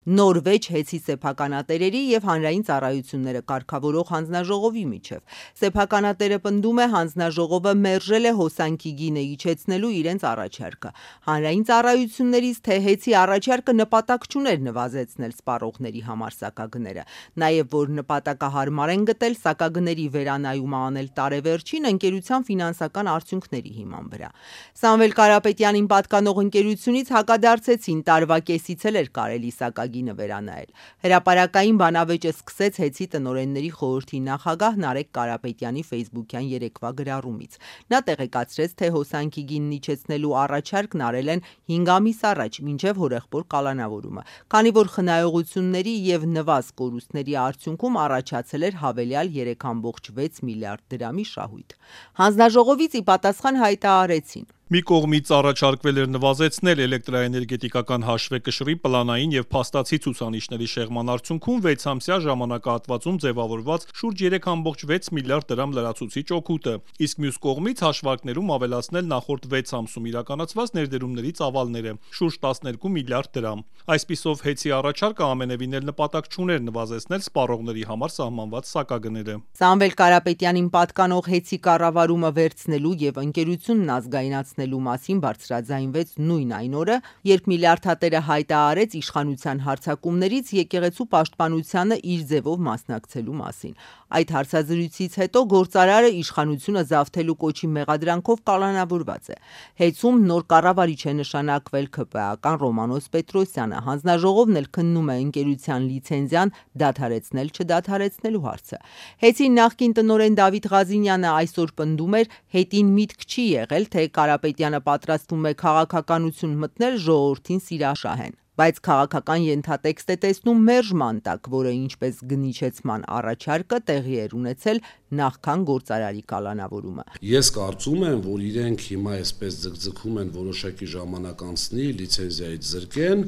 Նոր վեճ հեցի սեփականատերերի և հանրային ծառայությունները կարգավորող հանձնաժողովի միջև։ Սեփականատերը պնդում է, հանձնաժողովը մերժել է հոսանքի գինը իջեցնելու իրենց առաջարկը։ Հանրային ծառայություններից, թե հեցի առաջարկը նպատակ չուներ նվազեցնել սպառողների համար սակագները, նաև որ նպատակահարմար են գտել սակագների վերանայումը անել տարեվերջին ընկերության ֆինանսական արդյունքների հիման վրա։ Սամվել Կարապետյանին պատկանող ընկերությունից հակադարձեցին, տարվա կեսից էլ էր կարելի սակագինը վերանայել։ Հրապարակային բանավեճը սկսեց հեցի տնօրենների խորհրդի նախագահ Նարեկ Կարապետյանի ֆեյսբուքյան երեկվա գրառումից։ Նա տեղեկացրեց, թե հոսանքի գինն իջեցնելու առաջարկն արել են 5 ամիս առաջ, մինչև հորեղբոր կալանավորումը, քանի որ խնայողությունների և նվազ կորուստների արդյունքում առաջացել էր հավելյալ 3,6 միլիարդ դրամի շահույթ։ Հանձնաժողովից ի պատասխան հայտարարեցին. Մի կողմից առաջարկվել էր նվազեցնել էլեկտրաէներգետիկական հաշվեկշռի պլանային և փաստացի ցուցանիշների շեղման արդյունքում 6-ամսյա ժամանակահատվածում ձևավորված շուրջ 3,6 միլիարդ դրամ լրացուցիչ օգուտը, իսկ մյուս կողմից հաշվարկներում ավելացնել նախորդ 6 ամսում իրականացված ներդրումների ծավալները՝ շուրջ 12 միլիարդ դրամ։ Այսպիսով, հեցի առաջարկը ամենևին էլ նպատակ չուներ նվազեցնել սպառողների համար սահմանված սակագները։ Սամվել Կարապետյանին պատկանող հեցի կառավարումը վերցնելու և ընկերությունն ազգայնացնելու մասին բարձրաձայնվեց նույն այն օրը, երբ միլիարդատերը հայտարարեց իշխանության հարձակումներից եկեղեցու պաշտպանությանը իր ձևով մասնակցելու մասին։ Այդ հարցազրույցից հետո գործարարը իշխանությունը զավթելու կոչի մեղադրանքով կալանավորված է։ Հեցում նոր կառավարիչ է նշանակվել ՔՊԱ-ական Ռոմանոս Պետրոսյանը։ Հանձնաժողովն էլ քննում է ընկերության լիցենզիան դադարեցնել-չդադարեցնելու հարցը։ Հեցի նախկին տնօրեն Դավիթ Ղազինյանը այսօր պնդում էր, հետին միտք չի եղել, թե Կարապետյանը պատրաստվում է քաղաքականություն մտնել ժողովրդին սիրաշահեն, բայց քաղաքական ենթատեքստ է տեսնում մերժման տակ, որը, ինչպես գնիչեցման առաջարկը, տեղի էր ունեցել նախքան գործարարի կալանավորումը։ Ես կարծում եմ, որ իրենք հիմա այսպես ձգձգում են որոշակի ժամանակ անցնի, լիցենզիայից զրկեն,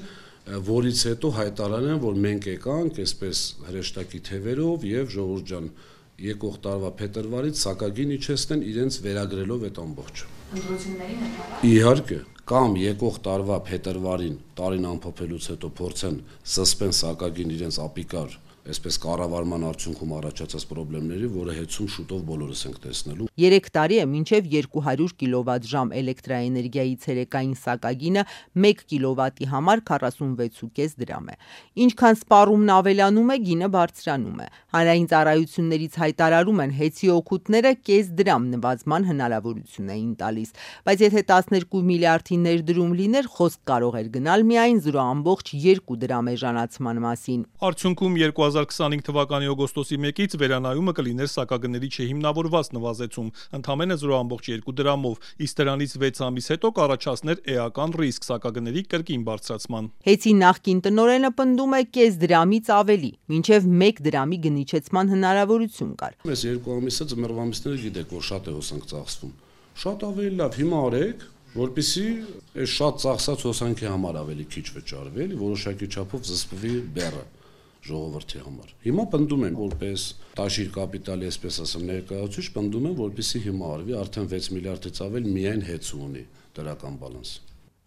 որից հետո հայտարարեն, որ մենք եկանք այսպես հրեշտակի թևերով եւ ժողովուրդ ջան, եկող տարվա փետրվարից սակագին իջեցնեն իրենց վերագրելով այդ ամբողջը։ Ընտրություններին Իհարկե, կամ եկող տարվա փետրվարին տարին ամփոփելուց հետո փորձեն զսպեն սակագին իրենց ապիկար այսպես կառավարման արդյունքում առաջացած խնդիրների, որը հեցում շուտով բոլորս ենք տեսնելու։ 3 տարի է մինչև 200 կիլովատ-ժամ էլեկտրաէներգիայի ցերեկային սակագինը 1 կիլովատի համար 46.5 դրամ է։ Ինչքան սպառումն ավելանում է, գինը բարձրանում է։ Հանրային ծառայություններից հայտարարում են, հեցի օգուտները կես դրամ նվազման հնարավորություն էին տալիս, բայց եթե 12 միլիարդի ներդրում լիներ, խոսք կարող էր գնալ միայն 0,2 դրամ էժանացման մասին։ Արդյունքում 2025 թվականի օգոստոսի 1-ից վերանայումը կլիներ սակագների չհիմնավորված նվազեցում, ընդամենը 0,2 դրամով, իսկ դրանից 6 ամիս հետո կառաջացներ էական ռիսկ սակագների կրկին բարձրացման։ Հեցի նախկին տնօրենը պնդում է կես դրամից ավելի, մինչև 1 դրամի գնիչեցման հնարավորություն կար։ Այս 2 ամիսը ձմեռվա ամիսները գիտեք, որ շատ է հոսանք ծախսվում։ Շատ ավելի լավ հիմա արեք, որպեսզի այս շատ ծախսած հոսանքի համար ավելի քիչ վճարվի, որոշակի չափով զսպվի բեռը ժողովրդի համար։ Հիմա պնդում են, որպես տաշիր կապիտալի, այսպես ասեմ, ներկայացուցիչ, պնդում են, որպեսզի հիմա արվի, արդեն 6 միլիարդից ավել միայն հեծու ունի դրական բալանս։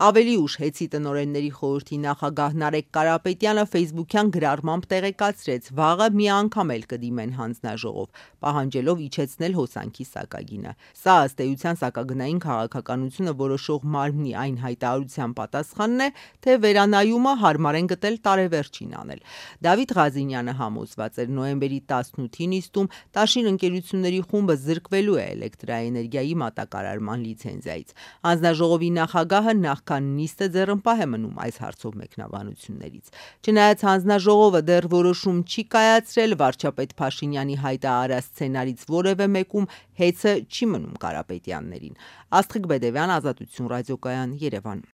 Ավելի ուշ հեցի տնօրենների խորհրդի նախագահ Նարեկ Կարապետյանը ֆեյսբուքյան գրառմամբ տեղեկացրեց, վաղը մի անգամ էլ կդիմեն հանձնաժողով, պահանջելով իջեցնել հոսանքի սակագինը։ Սա ըստ էության սակագնային քաղաքականությունը որոշող մարմնի այն հայտարարության պատասխանն է, թե վերանայումը հարմար են գտել տարեվերջին անել։ Դավիթ Ղազինյանը համոզված էր, նոյեմբերի 18-ի նիստում տաշիր ընկերությունների խումբը զրկվելու է էլեկտրաէներգիայի մատակարարման լիցենզիայից։ Հանձնաժողովի նախագահը նախքան նիստը ձեռնպահ է մնում այս հարցով մեկնաբանություններից։ Չնայած հանձնաժողովը դեռ որոշում չի կայացրել, վարչապետ Փաշինյանի հայտարարած սցենարից որևէ մեկում հեծը չի մնում Կարապետյաններին։ Աստղիկ Բեդևյան, Ազատություն ռադիոկայան, Երևան։